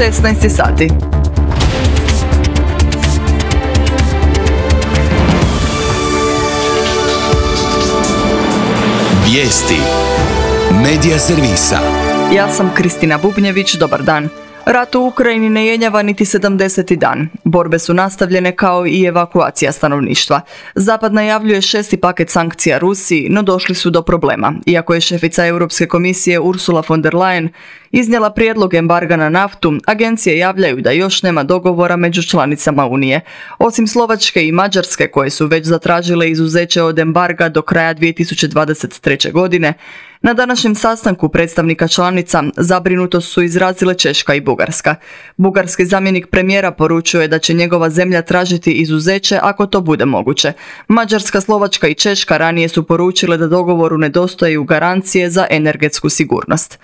16 sati. Vijesti Medija servisa. Ja sam Kristina Bubnjević, dobar dan. Rat u Ukrajini ne jenjava niti 70. dan. Borbe su nastavljene kao i evakuacija stanovništva. Zapad najavljuje 6. paket sankcija Rusiji, no došli su do problema. Iako je šefica Europske komisije Ursula von der Leyen iznijela prijedlog embarga na naftu, agencije javljaju da još nema dogovora među članicama Unije. Osim Slovačke i Mađarske, koje su već zatražile izuzeće od embarga do kraja 2023. godine, na današnjem sastanku predstavnika članica zabrinutost su izrazile Češka i Bugarska. Bugarski zamjenik premijera poručuje da će njegova zemlja tražiti izuzeće ako to bude moguće. Mađarska, Slovačka i Češka ranije su poručile da dogovoru nedostaju garancije za energetsku sigurnost.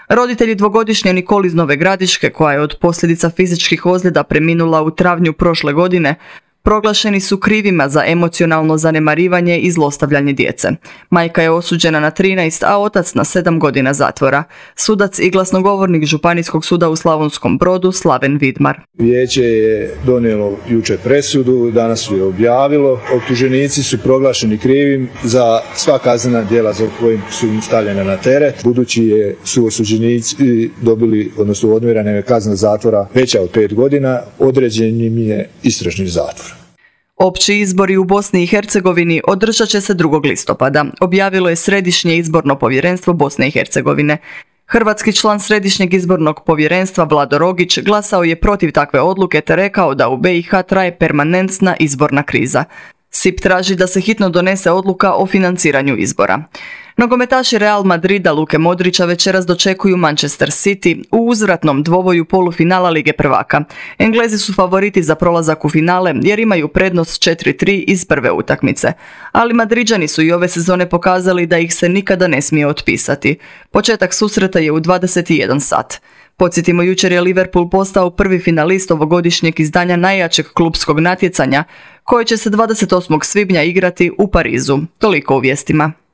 Roditelji dvogodišnje Nikol iz Nove Gradiške, koja je od posljedica fizičkih ozljeda preminula u travnju prošle godine, proglašeni su krivima za emocionalno zanemarivanje i zlostavljanje djece. Majka je osuđena na 13, a otac na 7 godina zatvora. Sudac i glasnogovornik Županijskog suda u Slavonskom Brodu Slaven Vidmar. Vijeće je donijelo jučer presudu, danas su je objavilo. Optuženici su proglašeni krivim za sva kaznena djela za kojim su im stavljena na teret. Budući su osuđenici dobili, odnosno odmjerena je kazna zatvora veća od 5 godina, određen im je istražni zatvor. Opći izbori u Bosni i Hercegovini održat će se 2. listopada, objavilo je Središnje izborno povjerenstvo Bosne i Hercegovine. Hrvatski član Središnjeg izbornog povjerenstva Vlado Rogić glasao je protiv takve odluke te rekao da u BiH traje permanentna izborna kriza. SIP traži da se hitno donese odluka o financiranju izbora. Nogometaši Real Madrida Luke Modrića večeras dočekuju Manchester City u uzvratnom dvoboju polufinala Lige prvaka. Englezi su favoriti za prolazak u finale jer imaju prednost 4-3 iz prve utakmice. Ali Madriđani su i ove sezone pokazali da ih se nikada ne smije otpisati. Početak susreta je u 21 sat. Podsjetimo, jučer je Liverpool postao prvi finalist ovogodišnjeg izdanja najjačeg klupskog natjecanja, koje će se 28. svibnja igrati u Parizu. Toliko u vijestima.